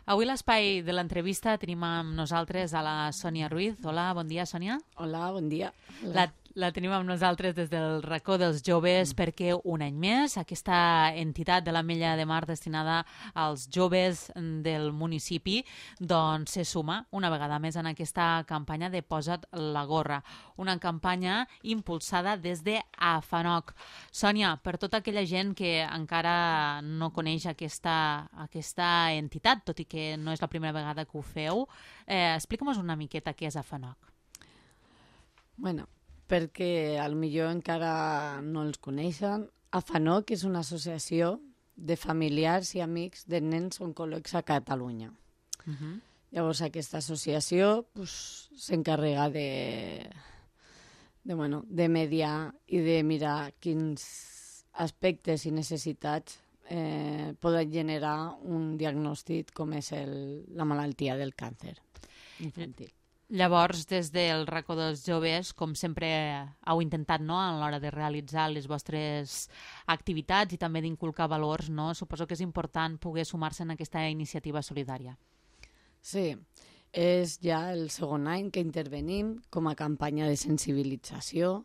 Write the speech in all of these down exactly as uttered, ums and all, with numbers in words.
Avui l'espai de l'entrevista tenim amb nosaltres a la Sònia Ruiz. Hola, bon dia, Sònia. Hola, bon dia. La, la tenim amb nosaltres des del racó dels joves perquè un any més aquesta entitat de l'Ametlla de Mar destinada als joves del municipi doncs se suma una vegada més en aquesta campanya de Posa't la gorra, una campanya impulsada des de AFANOC. Sònia, per tota aquella gent que encara no coneix aquesta, aquesta entitat, tot i que no és la primera vegada que ho feu, eh, explica'm una miqueta què és AFANOC. Bueno, perquè al millor encara no els coneixen, AFANOC és una associació de familiars i amics de nens oncòlegs a Catalunya. Uh -huh. Llavors aquesta associació pues, s'encarrega de, de, bueno, de mediar i de mirar quins aspectes i necessitats eh, poden generar un diagnòstic com és el, la malaltia del càncer infantil. Llavors, des del racó dels joves, com sempre heu intentat, no?, a l'hora de realitzar les vostres activitats i també d'inculcar valors, no? Suposo que és important poder sumar-se en aquesta iniciativa solidària. Sí, és ja el segon any que intervenim com a campanya de sensibilització.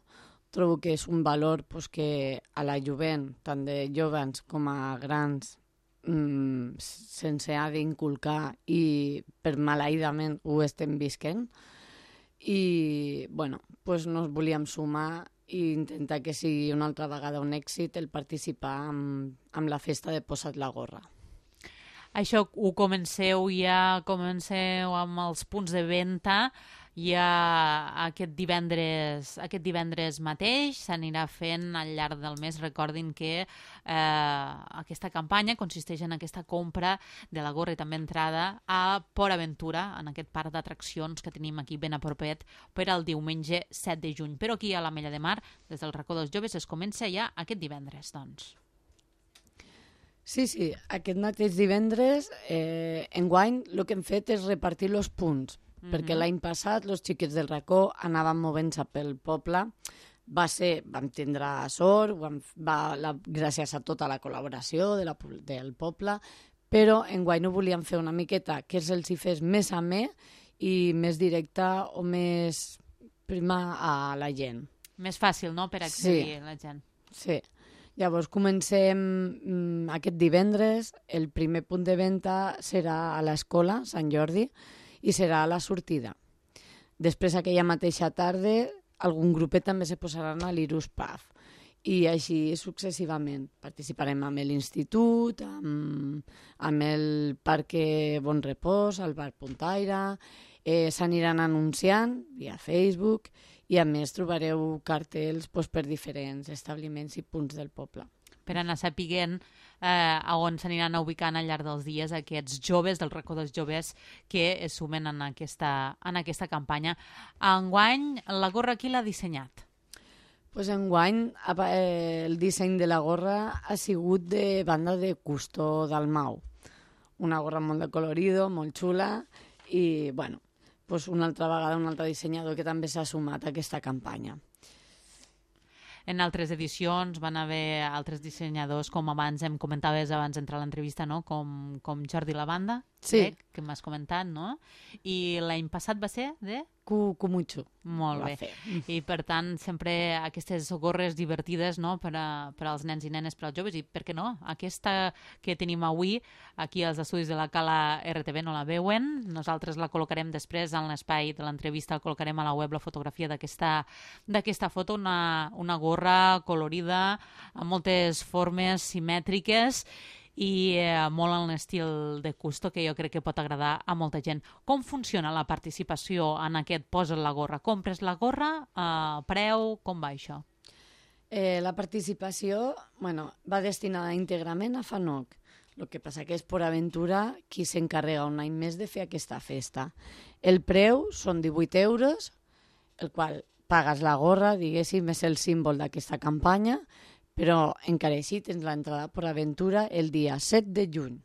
Trobo que és un valor pues, que a la jovent, tant de joves com a grans, Mm, sense ha d'inculcar i per maleïdament ho estem visquent i bueno, pues nos volíem sumar i intentar que sigui una altra vegada un èxit el participar amb, amb la festa de Posa't la gorra. Això ho comenceu ja, comenceu amb els punts de venda ja aquest divendres, aquest divendres mateix, s'anirà fent al llarg del mes. Recordin que eh, aquesta campanya consisteix en aquesta compra de la gorra i també entrada a Port Aventura, en aquest parc d'atraccions que tenim aquí ben a propet per al diumenge set de juny. Però aquí a l'Ametlla de Mar, des del racó dels joves, es comença ja aquest divendres, doncs. Sí, sí, aquest mateix divendres, eh, enguany, el que hem fet és repartir els punts, mm-hmm. perquè l'any passat els xiquets del racó anaven movent-se pel poble. Va ser, vam tindre sort, vam, va, la, gràcies a tota la col·laboració de la, del poble, però enguany ho volíem fer una miqueta que se'ls hi fes més amè i més directe o més prima a la gent. Més fàcil, no?, per accedir sí. a la gent. Sí. Llavors comencem mm, aquest divendres, el primer punt de venda serà a l'escola Sant Jordi i serà a la sortida. Després aquella mateixa tarda algun grupet també se posaran a l'Irus Pub i així successivament. Participarem amb l'Institut, amb, amb el Parc Bon Repòs, el Bar Puntaire, eh, s'aniran anunciant via Facebook i a més trobareu cartells doncs, per diferents establiments i punts del poble. Per anar sapiguent eh, a on s'aniran ubicant al llarg dels dies aquests joves del racó dels joves que es sumen en aquesta, en aquesta campanya. Enguany, la gorra qui l'ha dissenyat? Pues enguany eh, el disseny de la gorra ha sigut de banda de Custó Dalmau. Una gorra molt de colorido, molt xula i, bueno, pues una altra vegada un altre dissenyador que també s'ha sumat a aquesta campanya. En altres edicions van haver altres dissenyadors, com abans em comentaves abans d'entrar a l'entrevista, no? com, com Jordi Lavanda, sí. crec, que m'has comentat, no? I l'any passat va ser de? Cumucho. Molt bé. Fer. I per tant, sempre aquestes gorres divertides, no?, per, a, per als nens i nenes, per als joves, i per què no? Aquesta que tenim avui, aquí als estudis de la Cala R T V, no la veuen, nosaltres la col·locarem després en l'espai de l'entrevista, col·locarem a la web la fotografia d'aquesta d'aquesta foto, una, una gorra colorida, amb moltes formes simètriques, i eh, molt en l'estil de Custó, que jo crec que pot agradar a molta gent. Com funciona la participació en aquest Posa't la gorra? Compres la gorra, eh, preu, com va això? Eh, la participació bueno, va destinada íntegrament a AFANOC. El que passa que és Port Aventura qui s'encarrega un any més de fer aquesta festa. El preu són divuit euros, el qual pagues la gorra, diguéssim, és el símbol d'aquesta campanya, però encara així tens l'entrada a Port Aventura el dia set de juny.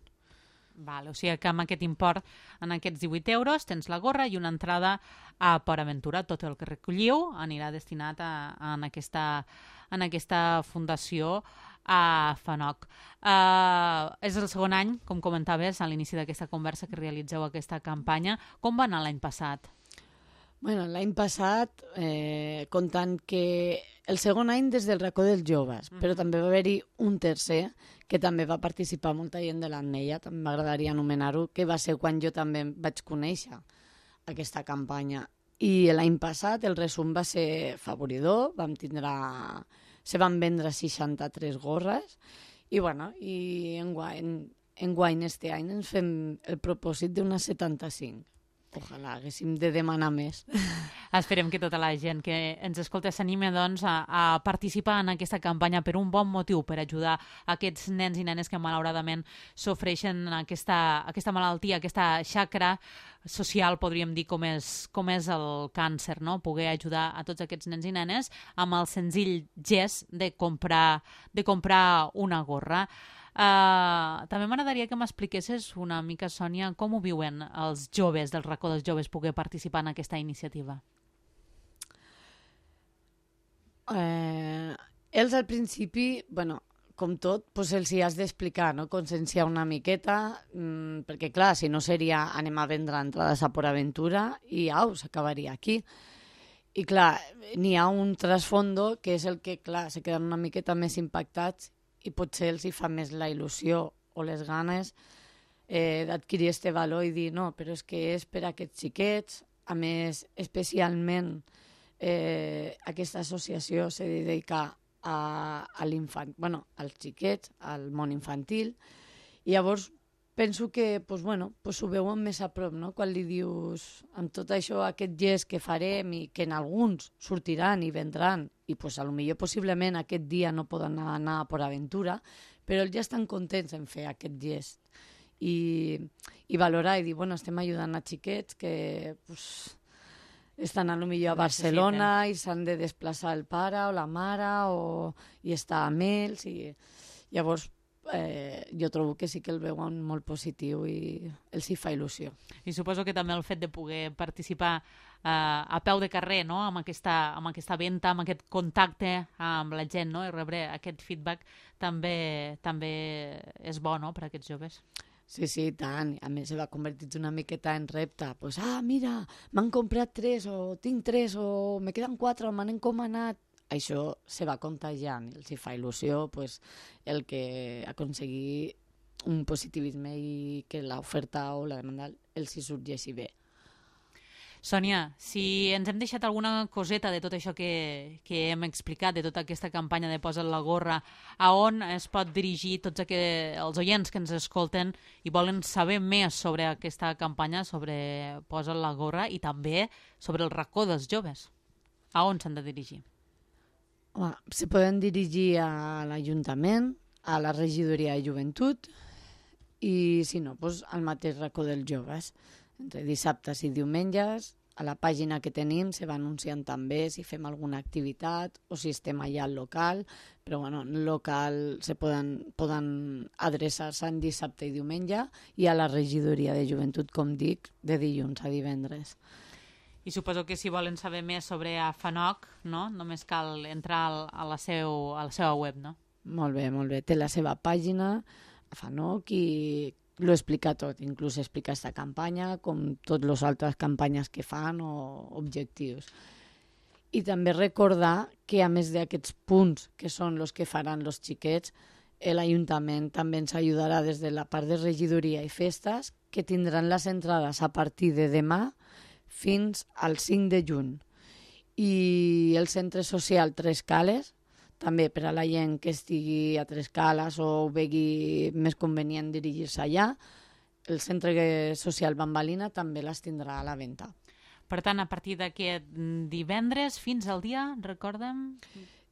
Val, o sigui que amb aquest import, en aquests divuit euros, tens la gorra i una entrada a Port Aventura. Tot el que recolliu anirà destinat a, a, en, aquesta, en aquesta fundació a Fanoc. Uh, és el segon any, com comentaves a l'inici d'aquesta conversa, que realitzeu aquesta campanya. Com va anar l'any passat? Bueno, l'any passat, eh, comptant que el segon any des del racó dels joves, mm. però també va haver-hi un tercer que també va participar molta gent de l'Ametlla, també m'agradaria anomenar-ho, que va ser quan jo també vaig conèixer aquesta campanya. I l'any passat el resum va ser favoridor, vam tindre, se van vendre seixanta-tres gorres i, bueno, i enguany, enguany este any ens fem el propòsit d'unes setanta-cinc. Ojalà haguéssim de demanar més. Esperem que tota la gent que ens escolta s'anime doncs, a, a participar en aquesta campanya per un bon motiu, per ajudar aquests nens i nenes que malauradament sofreixen aquesta, aquesta malaltia, aquesta xacra social, podríem dir, com és, com és el càncer, no? Poder ajudar a tots aquests nens i nenes amb el senzill gest de comprar, de comprar una gorra. Uh, també m'agradaria que m'expliquessis una mica, Sònia, com ho viuen els joves del racó dels joves poder participar en aquesta iniciativa. Eh, ells al principi, bueno, com tot, pues els hi has d'explicar, no? Conscienciar una miqueta, mmm, perquè clar, si no seria anem a vendre entrades a Port Aventura i au, s'acabaria aquí. I clar, n'hi ha un trasfondo que és el que, clar, se queden una miqueta més impactats i potser els hi fa més la il·lusió o les ganes eh, d'adquirir este valor i dir, no, però és que és per a aquests xiquets, a més, especialment eh, aquesta associació se dedica a, a l'infant, bueno, als xiquets, al món infantil, i llavors penso que pues, bueno, pues ho veuen més a prop, no? Quan li dius, amb tot això, aquest gest que farem i que en alguns sortiran i vendran, i pues, a lo millor possiblement aquest dia no poden anar a Port Aventura, però ells ja estan contents en fer aquest gest i, i valorar i dir, bueno, estem ajudant a xiquets que pues, estan a lo millor a Barcelona i s'han de desplaçar el pare o la mare o, i estar amb ells i llavors Eh, jo trobo que sí que el veuen molt positiu i els hi fa il·lusió. I suposo que també el fet de poder participar eh, a peu de carrer, no? amb, aquesta, amb aquesta venda, amb aquest contacte amb la gent, no? I rebre aquest feedback també, també és bo, no?, per a aquests joves. Sí, sí, tant. A més, se va convertir una miqueta en repte. Pues, ah, mira, m'han comprat tres, o tinc tres, o me queden quatre, o m'han encomanat. Això se va contagiant, els hi fa il·lusió pues, el que aconseguir un positivisme i que l'oferta o la demanda els hi sorgeixi bé. Sònia, si ens hem deixat alguna coseta de tot això que, que hem explicat, de tota aquesta campanya de Posa't la gorra, a on es pot dirigir tots aqu- els oients que ens escolten i volen saber més sobre aquesta campanya, sobre Posa't la gorra i també sobre el racó dels joves? A on s'han de dirigir? Home, se poden dirigir a l'Ajuntament, a la regidoria de joventut i, si no, doncs, al mateix racó dels joves. Entre dissabtes i diumenges, a la pàgina que tenim se va anunciant també si fem alguna activitat o si estem allà al local, però bueno, en el local se poden, poden adreçar-se en dissabte i diumenge i a la regidoria de joventut, com dic, de dilluns a divendres. I suposo que si volen saber més sobre a Fanoc, no? Només cal entrar al, a, la seu, a la seva web, no? Molt bé, molt bé. Té la seva pàgina, a Fanoc, i lo explica tot. Inclús explica aquesta campanya, com totes les altres campanyes que fan o objectius. I també recordar que, a més d'aquests punts, que són els que faran els xiquets, l'Ajuntament també ens ajudarà des de la part de regidoria i festes, que tindran les entrades a partir de demà fins al cinc de juny. I el centre social Tres Cales, també per a la gent que estigui a Tres Cales o vegi més convenient dirigir-se allà, el centre social Bambalina també les tindrà a la venda. Per tant, a partir d'aquest divendres fins al dia, recordem?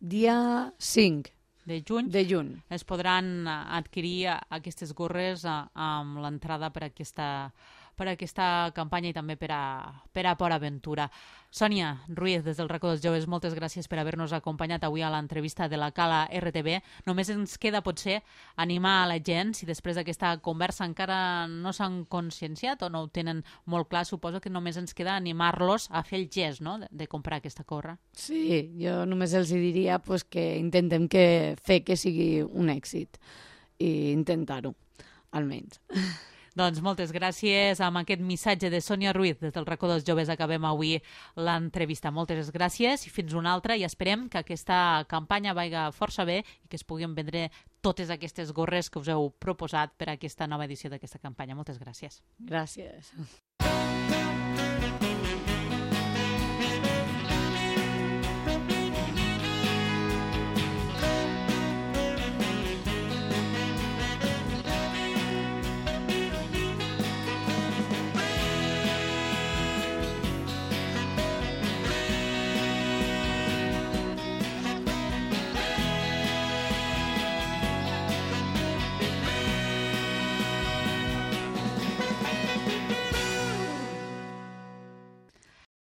Dia cinc de juny, de juny. Es podran adquirir aquestes gorres amb l'entrada per aquesta per aquesta campanya i també per a, per a Port Aventura. Sònia Ruiz, des del racó dels joves, moltes gràcies per haver-nos acompanyat avui a l'entrevista de la Cala R T V. Només ens queda, potser, animar a la gent, si després d'aquesta conversa encara no s'han conscienciat o no ho tenen molt clar, suposo que només ens queda animar-los a fer el gest, no?, de, de comprar aquesta gorra. Sí, jo només els diria pues, que intentem que fer que sigui un èxit i intentar-ho, almenys. Doncs moltes gràcies. Amb aquest missatge de Sònia Ruiz des del racó dels joves acabem avui l'entrevista. Moltes gràcies i fins una altra, i esperem que aquesta campanya vagi força bé i que es puguin vendre totes aquestes gorres que us heu proposat per a aquesta nova edició d'aquesta campanya. Moltes gràcies. Gràcies.